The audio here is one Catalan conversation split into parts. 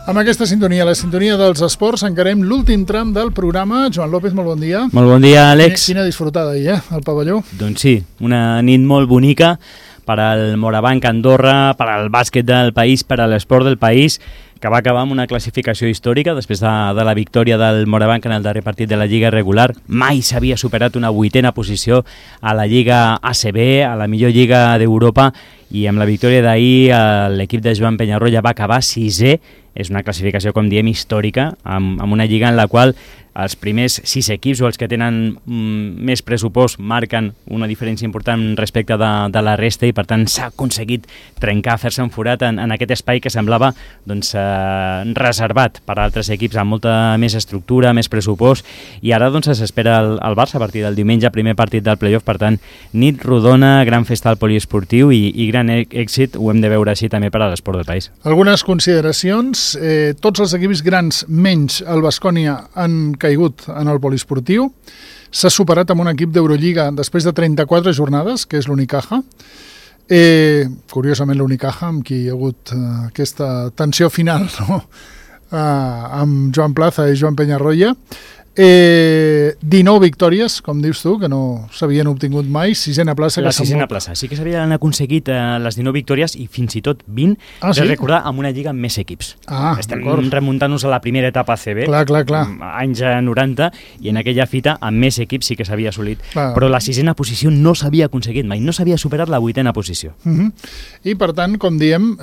Amb aquesta sintonia, la sintonia dels esports, encarem l'últim tram del programa. Joan López, molt bon dia. Molt bon dia, Àlex. Quina disfrutada ahir, al pavelló. Doncs sí, una nit molt bonica per al Morabanc Andorra, per al bàsquet del país, per a l'esport del país, que va acabar amb una classificació històrica després de la victòria del Morabanc en el darrer partit de la Lliga regular. Mai s'havia superat una 8a posició a la Lliga ACB, a la millor Lliga d'Europa, i amb la victòria d'ahir l'equip de Joan Penyarroia va acabar 6è. És una classificació, com diem, històrica, amb una lliga en la qual els primers 6 equips o els que tenen més pressupost marquen una diferència important respecte de la resta, i per tant s'ha aconseguit trencar, fer-se un forat en aquest espai que semblava reservat per a altres equips amb molta més estructura, més pressupost, i ara s'espera el Barça a partir del diumenge, primer partit del playoff. Per tant, nit rodona, gran festa al poliesportiu i gran èxit, ho hem de veure així també per a l'esport del país. Algunes consideracions. Tots els equips grans, menys el Baskonia, han caigut en el poliesportiu. S'ha superat amb un equip d'Eurolliga després de 34 jornades, que és l'Unicaja. Curiosament l'Unicaja, amb qui hi ha hagut aquesta tensió final, no? Amb Joan Plaza i Joan Penyarroia. 19 victòries, com dius tu, que no s'havien obtingut mai. Sisena plaça. La sisena plaça. Sí que s'havien aconseguit les 19 victòries i fins i tot 20, sí? Recordar, amb una lliga amb més equips. Estem remuntant-nos a la primera etapa ACB, clar. anys 90, i en aquella fita amb més equips sí que s'havia assolit. Clar. Però la sisena posició no s'havia aconseguit mai, no s'havia superat la 8a posició. I per tant, com diem,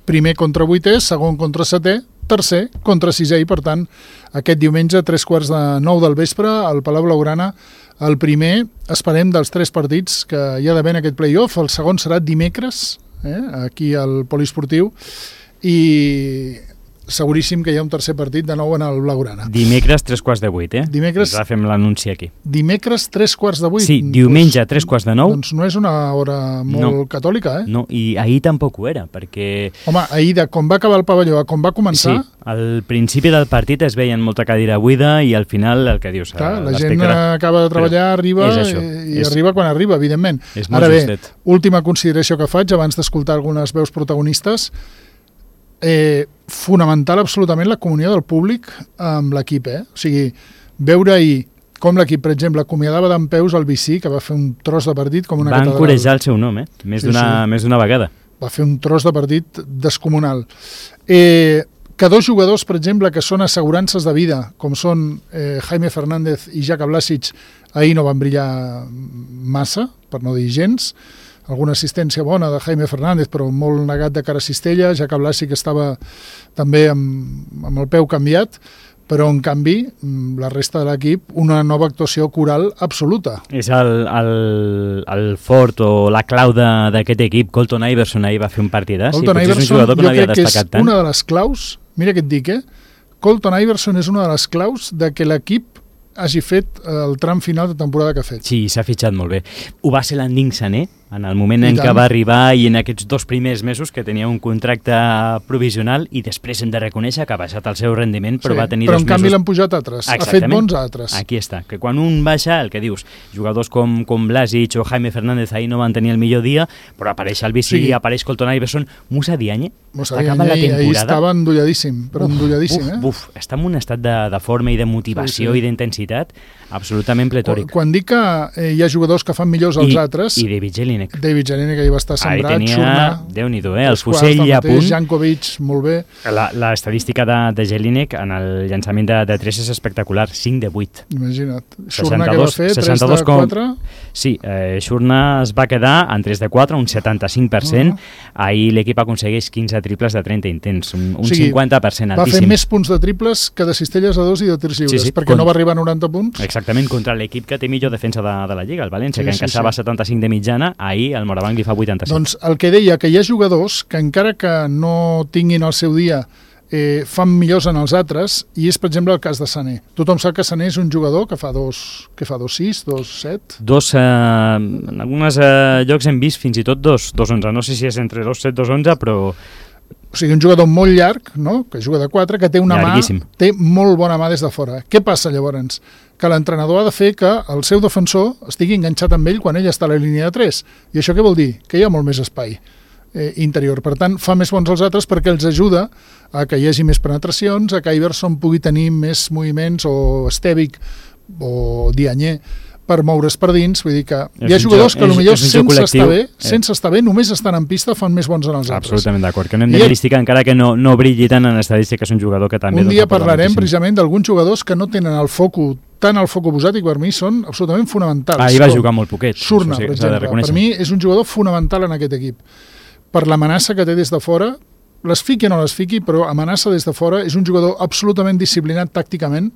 primer contra 8è, segon contra 7è, tercer contra 6è, i per tant aquest diumenge a 15:45 del vespre al Palau Blaugrana, el primer, esperem, dels 3 partits que hi ha d'haver en aquest play-off. El segon serà dimecres, aquí al poliesportiu, i seguríssim que hi ha un tercer partit de nou en el Blaugrana. Dimecres 7:45, Dimecres... Ja fem l'anunci aquí. Dimecres 7:45? Sí, diumenge 7:45. Doncs no és una hora molt catòlica, No, i ahir tampoc ho era, perquè... Home, ahir, de com va acabar el pavelló a com va començar... Sí, al principi del partit es veien molta cadira buida i al final el que dius... Clar, la gent acaba de treballar, arriba i arriba quan arriba, evidentment. Ara bé, última consideració que faig abans d'escoltar algunes veus protagonistes. Fonamental absolutament la comunió del públic amb l'equip, O sigui, veure ahir com l'equip, per exemple, acomiadava dempeus el Vicí, que va fer un tros de partit com una catedral. Va encoratjar el seu nom, més d'una vegada. Va fer un tros de partit descomunal. Que 2 jugadors, per exemple, que són assegurances de vida, com són Jaime Fernández i Jaka Blasic, ahir no van brillar massa, per no dir gens. Alguna assistència bona de Jaime Fernández, però molt negat de cara a cistella. Jaka Blasic estava també amb el peu canviat, però en canvi la resta de l'equip, una nova actuació coral absoluta. És el fort o la clau d'aquest equip. Colton Iverson ahir va fer un partidàs. Colton Iverson, jo crec que és una de les claus, mira què et dic, Colton Iverson és una de les claus de que l'equip hagi fet el tram final de temporada que ha fet. Sí, s'ha fitxat molt bé. Ho va ser l'Ending Sané, en el moment en què va arribar, i en aquests 2 primers mesos que tenia un contracte provisional, i després hem de reconèixer que ha baixat el seu rendiment, però va tenir 2 mesos... Però en canvi l'han pujat altres, ha fet bons altres. Aquí està, que quan un baixa, el que dius, jugadors com Blasic o Jaime Fernández ahir no van tenir el millor dia, però apareix el Vicí, apareix Colton Iverson, Moussa Diagne, acaba la temporada... Ahir estava endolladíssim, però endolladíssim, està en un estat de forma i de motivació i d'intensitat absolutament pletòric. Quan dic que hi ha jugadors que fan millors els altres... I David Jelinek. David Jelinek ahir va estar sembrat, ahir tenia, Déu-n'hi-do, el fusell ja a punt. Jankovic, molt bé. L'estadística de Jelinek en el llançament de 3 és espectacular, 5 de 8. Imagina't. Shurna que va fer, 3 de 4? Sí, Shurna es va quedar en 3 de 4, un 75%. Ahir l'equip aconsegueix 15 triples de 30 intents, un 50% altíssim. Va fer més punts de triples que de cistelles a 2 i de tirs lliures, perquè no va arribar a 90 punts. Exactament, contra l'equip que té millor defensa de la Lliga, el València, que encaixava 75 de mitjana, ahir el Morabanc li fa 87. Doncs el que deia, que hi ha jugadors que encara que no tinguin el seu dia fan millors en els altres, i és, per exemple, el cas de Sané. Tothom sap que Sané és un jugador que fa 2-6, 2-7? En alguns llocs hem vist fins i tot 2-11. No sé si és entre 2-7 i 2-11, però... O sigui, un jugador molt llarg, no?, que juga de 4, que té una llarguíssim. Té molt bona mà des de fora. Què passa llavors? Que l'entrenador ha de fer que el seu defensor estigui enganxat amb ell quan ell està a la línia de 3. I això què vol dir? Que hi ha molt més espai. interior. Per tant, fa més bons els altres perquè els ajuda a que hi hagi més penetracions, a que Iverson pugui tenir més moviments, o Stevic o Diagne, per moure's per dins. Vull dir que hi ha jugadors que potser sense estar bé, només estan en pista, fan més bons en els altres. Absolutament d'acord, que no hem de criticar encara que no brilli tant en estadística, és un jugador que també... Un dia parlarem precisament d'alguns jugadors que no tenen el foco posat i per mi són absolutament fonamentals. Ahir va jugar molt poquet. Surna, per exemple. Per mi és un jugador fonamental en aquest equip. Per l'amenaça que té des de fora, les fiqui o no les fiqui, però amenaça des de fora, és un jugador absolutament disciplinat tàcticament.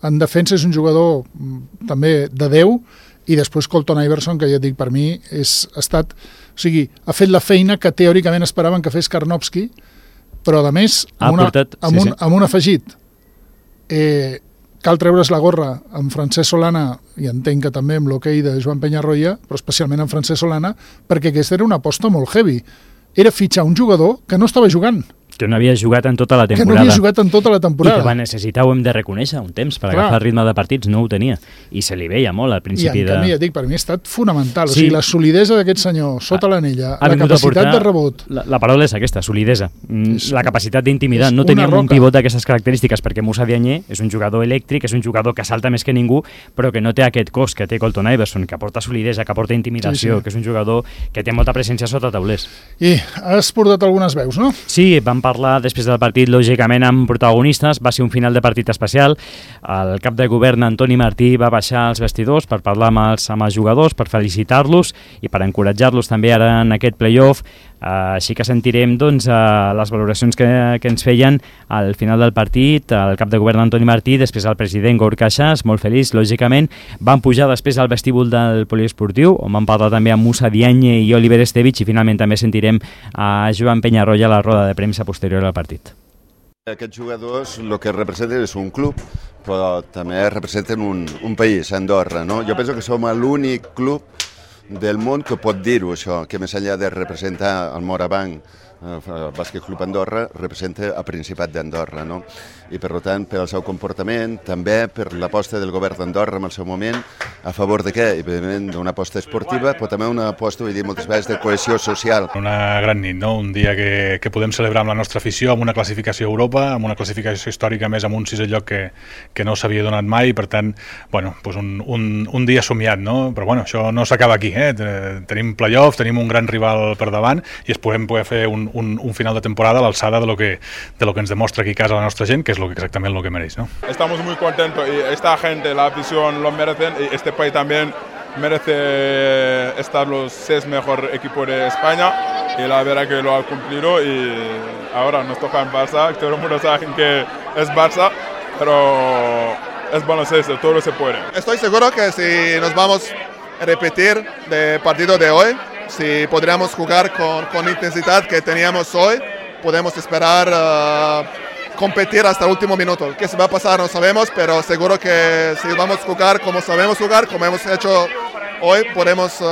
En defensa és un jugador també de 10, i després Colton Iverson, que ja et dic, per mi ha fet la feina que teòricament esperaven que fes Karnovsky, però a més amb un afegit. Cal treure's la gorra amb Francesc Solana, i entenc que també amb l'hoquei de Joan Peñarroya, però especialment amb Francesc Solana, perquè aquesta era una aposta molt heavy. Era fitxar un jugador que no estava jugant. Que no havia jugat en tota la temporada. Que no havia jugat en tota la temporada. I que va necessitar, ho hem de reconèixer, un temps per agafar el ritme de partits, no ho tenia. I se li veia molt al principi I en canvi, ja dic, per mi ha estat fonamental. Sí. O sigui, la solidesa d'aquest senyor sota l'anella, la capacitat de rebot... La paraula és aquesta, solidesa. La capacitat d'intimidar. No teníem un pivot d'aquestes característiques, perquè Moussa Diagne és un jugador elèctric, és un jugador que salta més que ningú, però que no té aquest cos que té Colton Iverson, que aporta solidesa, que aporta intimidació, que és un jugador que té molta presència sota taulers. I has portat algunes veus, no? Sí, vam parlar després del partit, lògicament, amb protagonistes. Va ser un final de partit especial. El cap de govern, Antoni Martí, va baixar als vestidors per parlar amb els jugadors, per felicitar-los i per encoratjar-los també ara en aquest play-off. Així que sentirem les valoracions que ens feien al final del partit. El cap de govern, Antoni Martí, després el president Gorka Xas, molt feliç, lògicament. Van pujar després al vestíbul del poliesportiu, on van parlar també amb Moussa Diagne i Oliver Stevic, i finalment també sentirem a Joan Peñarroya a la roda de premsa posterior al partit. Aquests jugadors el que representen és un club, però també representen un país, Andorra, no? Jo penso que som l'únic club del món que pot dir-ho, això, que més enllà de representar el Morabanc, el Bàsquet Club Andorra, representa el Principat d'Andorra, no? I per tant, per el seu comportament, també per l'aposta del govern d'Andorra en el seu moment, a favor de què? Evidentment d'una aposta esportiva, però també una aposta, vull dir, moltes vegades de cohesió social. Una gran nit, no? Un dia que podem celebrar amb la nostra afició, amb una classificació a Europa, amb una classificació històrica més amb un sisè lloc que no s'havia donat mai, i per tant, bueno, doncs un dia somiat, no? Però bueno, això no s'acaba aquí, tenim play-off, tenim un gran rival per davant i podem poder fer un final de temporada a l'alçada de lo que ens demostra aquí a casa la nostra gent, que és exactament lo que mereix, ¿no? Estamos muy contentos y esta gente, la afición lo merecen, y este país también merece estar los 6 mejores equipos de España, y la verdad que lo ha cumplido, y ahora nos toca en Barça, todo el mundo sabe que es Barça, pero es baloncesto, todo se puede. Estoy seguro que si nos vamos a repetir del partido de hoy, si podríamos jugar con intensidad que teníamos hoy, podemos esperar competir hasta el último minuto. ¿Qué se va a pasar? No sabemos, pero seguro que si vamos a jugar como sabemos jugar, como hemos hecho hoy, podemos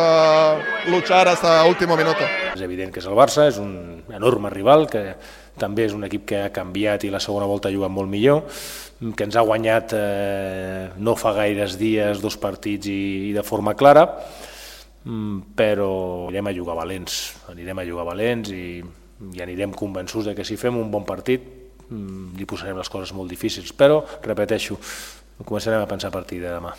luchar hasta el último minuto. És evident que és el Barça, és un enorme rival, que també és un equip que ha canviat i la segona volta ha jugat molt millor, que ens ha guanyat no fa gaires dies 2 partits i de forma clara, però anirem a jugar valents i anirem convençuts de que si fem un bon partit li posarem les coses molt difícils, però, repeteixo, començarem a pensar a partir de demà.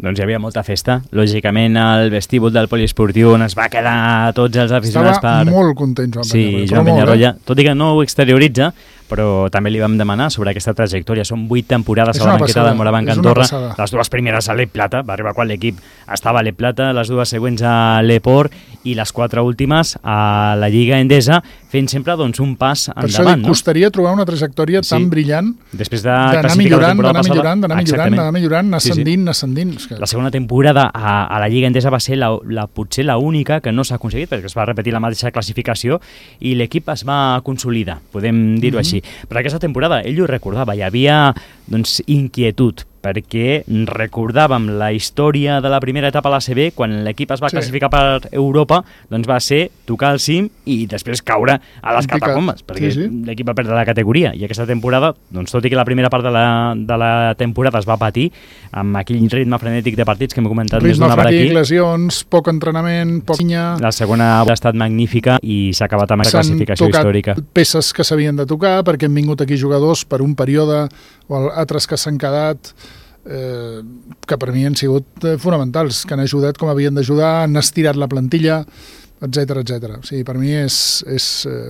Doncs hi havia molta festa, lògicament al vestíbul del poliesportiu, on es va quedar tots els aficionats Estava molt content Joan Peñarroya, tot i que no ho exterioritza, però també li vam demanar sobre aquesta trajectòria. Són 8 temporades a la banqueta del Morabanc Andorra, les 2 primeres a l'E Plata, va arribar quan l'equip estava a l'E Plata, les 2 següents a l'Eport i les 4 últimes a la Lliga Endesa, fent sempre un pas endavant. Per això costaria trobar una trajectotòria tan brillant, després d'anar millorant, ascendint. La segona temporada a la Lliga Endesa va ser potser l'única que no s'ha aconseguit, perquè es va repetir la mateixa classificació i l'equip es va consolidar, podem dir-ho així. Però aquesta temporada, ell ho recordava, hi havia inquietud perquè recordàvem la història de la primera etapa a l'ACB, quan l'equip es va classificar per Europa, doncs va ser tocar el cim i després caure a les catacombes, perquè l'equip va perdre la categoria. I aquesta temporada, doncs, tot i que la primera part de la temporada es va patir, amb aquell ritme frenètic de partits que hem comentat més d'una vegada aquí. Lesions, poc entrenament, poc cinya. La segona ha estat magnífica i s'ha acabat amb aquesta classificació històrica. S'han tocat peces que s'havien de tocar perquè han vingut aquí jugadors per un període o altres que s'han quedat que per mi han sigut fonamentals, que han ajudat com havien d'ajudar, han estirat la plantilla, etcètera, etcètera. O sigui, per mi és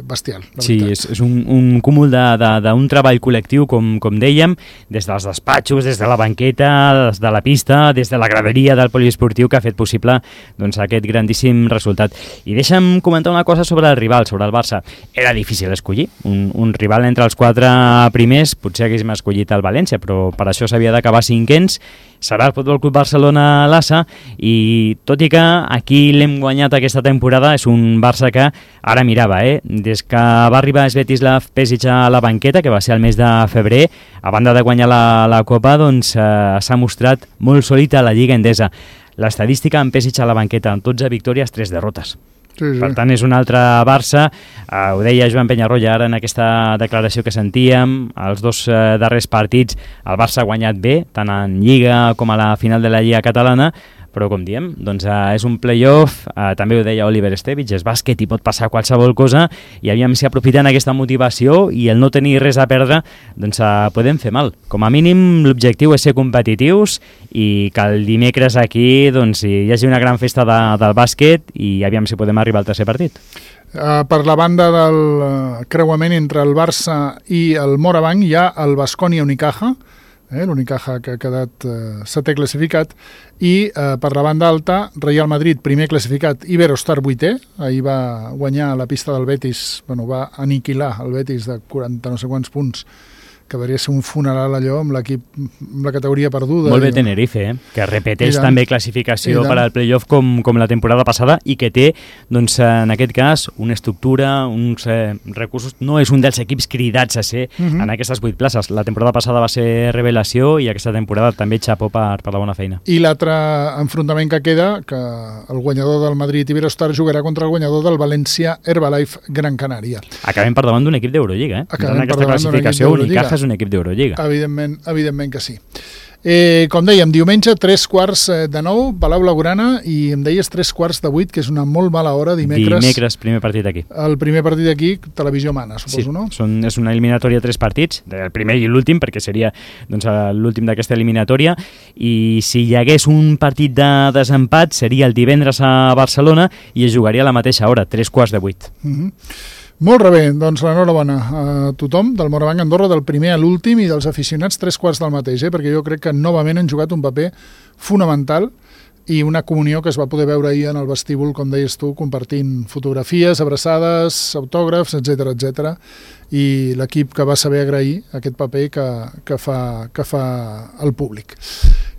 bestial. Sí, és un cúmul d'un treball col·lectiu, com dèiem, des dels despatxos, des de la banqueta, des de la pista, des de la graderia del poliesportiu, que ha fet possible doncs, aquest grandíssim resultat. I deixa'm comentar una cosa sobre el rival, sobre el Barça. Era difícil escollir un rival entre els 4 primers, potser haguéssim escollit el València, però per això s'havia d'acabar 5ens. Serà el Futbol Club Barcelona l'Assa, i tot i que aquí l'hem guanyat aquesta temporada, és un Barça que ara mirava, des que va arribar Svetislav Pesic a la banqueta, que va ser el mes de febrer, a banda de guanyar la Copa, doncs s'ha mostrat molt sòlid a la Lliga Endesa. L'estadística amb Pesic a la banqueta, amb 12 victòries, 3 derrotes. Sí. Per tant, és un altre Barça. Ho deia Joan Penyarroia ara en aquesta declaració que sentíem. Els 2 darrers partits el Barça ha guanyat bé, tant en Lliga com a la final de la Lliga Catalana, però com diem, doncs, és un play-off, també ho deia Oliver Estevich, és bàsquet i pot passar qualsevol cosa, i aviam si aprofitant aquesta motivació i el no tenir res a perdre, doncs podem fer mal. Com a mínim l'objectiu és ser competitius i que el dimecres aquí doncs, hi hagi una gran festa del bàsquet i aviam si podem arribar al tercer partit. Per la banda del creuament entre el Barça i el Morabanc hi ha el Baskonia Unicaja, l'Unicaja que ha quedat 7è classificat, i per la banda alta Real Madrid primer classificat, Iberostar 8è, ahir va guanyar a la pista del Betis, va aniquilar el Betis de 40 no sé quants punts, que devia ser un funeral allò amb l'equip, amb la categoria perduda. Molt bé Tenerife, que repeteix també classificació per al playoff com la temporada passada i que té, doncs, en aquest cas, una estructura, uns recursos. No és un dels equips cridats a ser en aquestes 8 places. La temporada passada va ser revelació i aquesta temporada també xapó per la bona feina. I l'altre enfrontament que queda, que el guanyador del Madrid Iberostar jugarà contra el guanyador del València Herbalife Gran Canària. Acabem per davant d'un equip d'Eurolliga, en aquesta classificació Unicaja és un equip d'Eurolliga. Evidentment que sí. Com dèiem, diumenge 3:15 Palau Blaugrana, i em deies 3:15, que és una molt mala hora, dimecres. Dimecres, primer partit aquí. El primer partit aquí, televisió mana, suposo, no? Sí, és una eliminatòria 3 partits, el primer i l'últim, perquè seria doncs, l'últim d'aquesta eliminatòria, i si hi hagués un partit de desempat seria el divendres a Barcelona i es jugaria a la mateixa hora, 7:15. Molt bé, doncs l'enhorabona a tothom del Morabanc Andorra, del primer a l'últim, i dels aficionats 3/4 del mateix, perquè jo crec que novament han jugat un paper fonamental i una comunió que es va poder veure ahir en el vestíbul, com deies tu, compartint fotografies, abraçades, autògrafs, etc, i l'equip que va saber agrair aquest paper que fa el públic.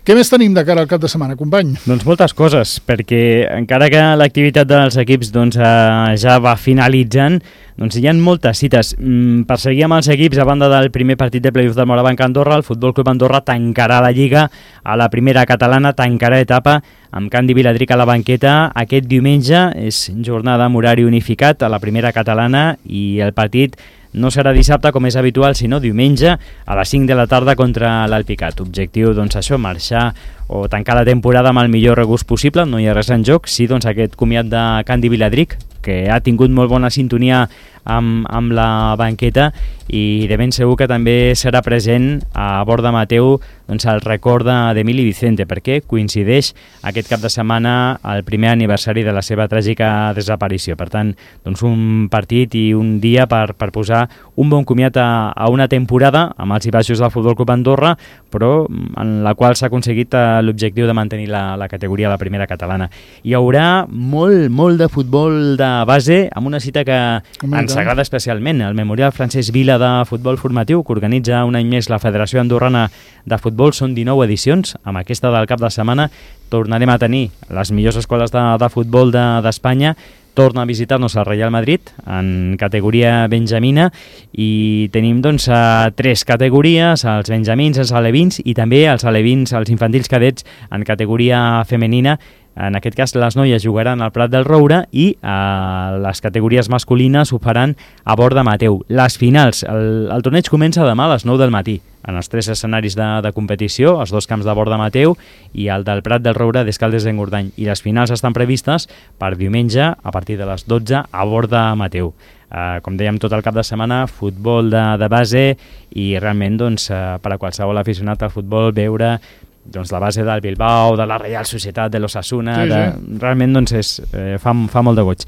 Què més tenim de cara al cap de setmana, company? Doncs moltes coses, perquè encara que l'activitat dels equips ja va finalitzant, doncs hi ha moltes cites. Per seguir amb els equips, a banda del primer partit de playoff del Morabanc Andorra, el Futbol Club Andorra tancarà la Lliga a la primera catalana, tancarà etapa amb Candi Viladric a la banqueta. Aquest diumenge és jornada amb horari unificat a la primera catalana i el partit no serà dissabte com és habitual, sinó diumenge a les 5 de la tarda contra l'Alpicat. Objectiu, doncs això, marxar o tancar la temporada amb el millor regust possible, no hi ha res en joc, sí, doncs aquest comiat de Candi Viladric, que ha tingut molt bona sintonia amb la banqueta, i de ben segur que també serà present a Borda Mateu doncs, el record d'Emili Vicente, perquè coincideix aquest cap de setmana el primer aniversari de la seva tràgica desaparició. Per tant, doncs un partit i un dia per posar un bon comiat a una temporada amb els i baixos del Futbol Club Andorra, però en la qual s'ha aconseguit l'objectiu de mantenir la categoria a la primera catalana. Hi haurà molt de futbol de base, amb una cita que ens agrada especialment, el Memorial Francesc Vila de Futbol Formatiu, que organitza un any més la Federació Andorrana de Futbol. Són 19 edicions. Amb aquesta del cap de setmana tornarem a tenir les millors escoles de futbol d'Espanya, torna a visitar-nos el Real Madrid en categoria benjamina i tenim doncs 3 categories, els benjamins, els alevins i també els alevins, els infantils cadets en categoria femenina. En aquest cas, les noies jugaran al Prat del Roure i les categories masculines ho faran a Borda Mateu. Les finals, el torneig comença demà a les 9 del matí, en els 3 escenaris de competició, els 2 camps de Borda Mateu i el del Prat del Roure d'Escaldes d'Engordany. I les finals estan previstes per diumenge a partir de les 12 a Borda Mateu. Com dèiem, tot el cap de setmana, futbol de base i realment doncs, per a qualsevol aficionat al futbol veure doncs, la base del Bilbao, de la Reial Societat, de l'Osasuna, realment doncs, fa molt de goig.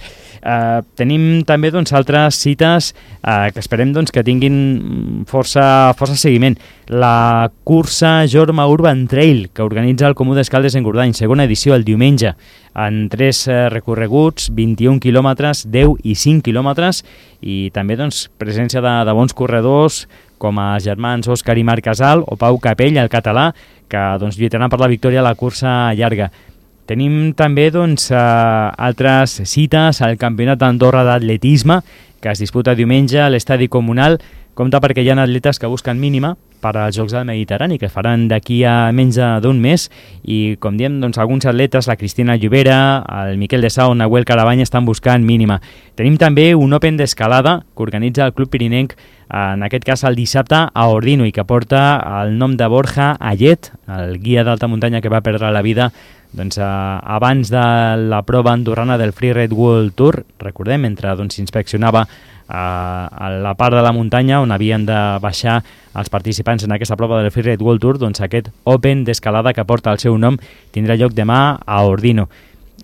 Tenim també doncs, altres cites que esperem doncs, que tinguin força seguiment. La cursa Jorma Urban Trail, que organitza el Comú d'Escaldes d'Engordany, segona edició el diumenge, en 3 recorreguts, 21 quilòmetres, 10 i 5 quilòmetres, i també doncs, presència de bons corredors, com a germans Òscar i Marc Casal o Pau Capell, el català, que doncs, lluitaran per la victòria a la cursa llarga. Tenim també doncs, altres cites al Campionat d'Andorra d'Atletisme, que es disputa diumenge a l'Estadi Comunal. Compte perquè hi ha atletes que busquen mínima per als Jocs del Mediterrani, que faran d'aquí a menys d'un mes, i com diem, doncs, alguns atletes, la Cristina Llobera, el Miquel de Sau, Nahuel Carabanya, estan buscant mínima. Tenim també un Open d'escalada que organitza el Club Pirinenc, en aquest cas el dissabte a Ordino, i que porta el nom de Borja Ayet, el guia d'alta muntanya que va perdre la vida doncs, abans de la prova andorrana del Free Red World Tour. Recordem, mentre s'inspeccionava a la part de la muntanya on havien de baixar els participants en aquesta prova del Free Red World Tour, doncs aquest Open d'escalada que porta el seu nom tindrà lloc demà a Ordino.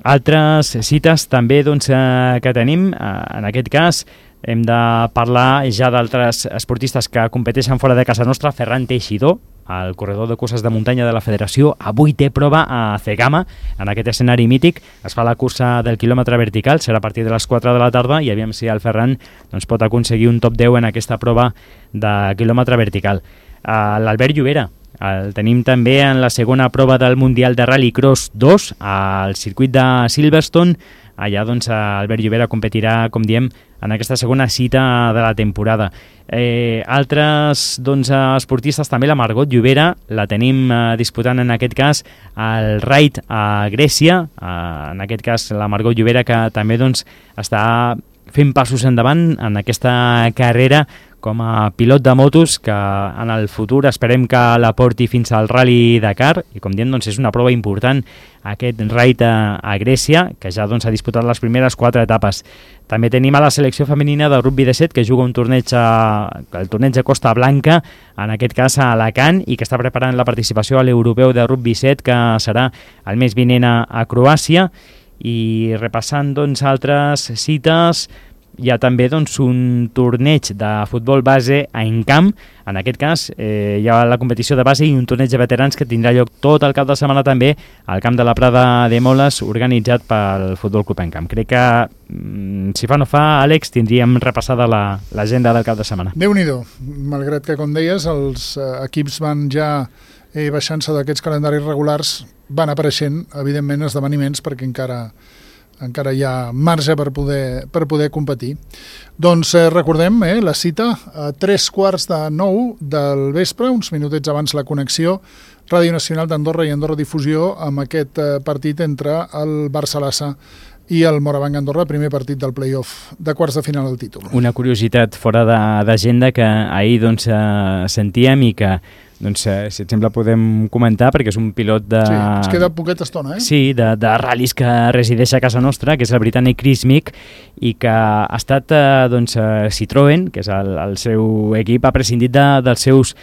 Altres cites també doncs, que tenim, en aquest cas hem de parlar ja d'altres esportistes que competeixen fora de casa nostra. Ferran Teixidor, el corredor de curses de muntanya de la Federació, avui té prova a Cegama, en aquest escenari mític. Es fa la cursa del quilòmetre vertical, serà a partir de les 4 de la tarda, i aviam si el Ferran doncs, pot aconseguir un top 10 en aquesta prova de quilòmetre vertical. L'Albert Llobera, el tenim també en la segona prova del Mundial de Rallycross 2 al circuit de Silverstone. Allà doncs, Albert Llobera competirà, com diem, en aquesta segona cita de la temporada. Altres doncs, esportistes, també la Margot Llobera, la tenim disputant en aquest cas el Raid a Grècia. En aquest cas la Margot Llobera, que també doncs, està fent passos endavant en aquesta carrera com a pilot de motos, que en el futur esperem que la porti fins al Rally Dakar, i com diem doncs, és una prova important aquest Raid a Grècia, que ja doncs, ha disputat les primeres 4 etapes. També tenim a la selecció femenina de rugby de 7, que juga un torneig el torneig de Costa Blanca, en aquest cas a Alacant, i que està preparant la participació a l'Europeu de rugby 7, que serà el mes vinent a Croàcia. I repassant doncs, altres cites, hi ha també doncs, un torneig de futbol base a Encamp. En aquest cas hi ha la competició de base i un torneig de veterans que tindrà lloc tot el cap de setmana també al camp de la Prada de Moles, organitzat pel Futbol Club Encamp. Crec que, si fa no fa, Àlex, tindríem repassada l'agenda del cap de setmana. Déu-n'hi-do, malgrat que, com deies, els equips van ja baixant-se d'aquests calendaris regulars, van apareixent, evidentment, esdeveniments perquè encara hi ha marge per poder competir. Doncs recordem la cita a 8:45 del vespre, uns minutets abans la connexió, Ràdio Nacional d'Andorra i Andorra Difusió, amb aquest partit entre el Barça-Lassa i el Morabanc Andorra, primer partit del play-off de quarts de final del títol. Una curiositat fora d'agenda que ahir doncs, sentíem i que doncs, si et sembla podem comentar, perquè és un pilot de... Sí, es queda poqueta estona, Sí, de ral·lis que resideix a casa nostra, que és el britànic Chris Meek, i que ha estat doncs, Citroën, que és el seu equip, ha prescindit dels seus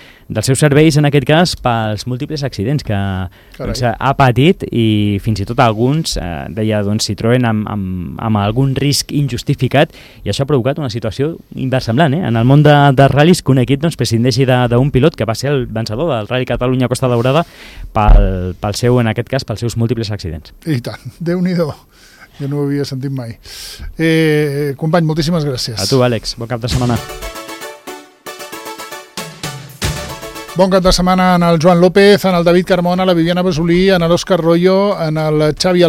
serveis, en aquest cas, pels múltiples accidents que doncs, ha patit, i fins i tot alguns, deia doncs, Citroën, amb algun risc injustificat, i això ha provocat una situació inversemblant, en el món de ral·lis, que un equip doncs, prescindeixi d'un pilot que va ser el vencedor del Rally Catalunya Costa Daurada pel seu, en aquest cas, pels seus múltiples accidents. I tant, Déu-n'hi-do, jo no ho havia sentit mai. Company, moltíssimes gràcies. A tu, Àlex, bon cap de setmana. Bon cap de setmana en el Joan López, en el David Carmona, la Viviana Basolí, en l'Òscar Royo, en el Xavi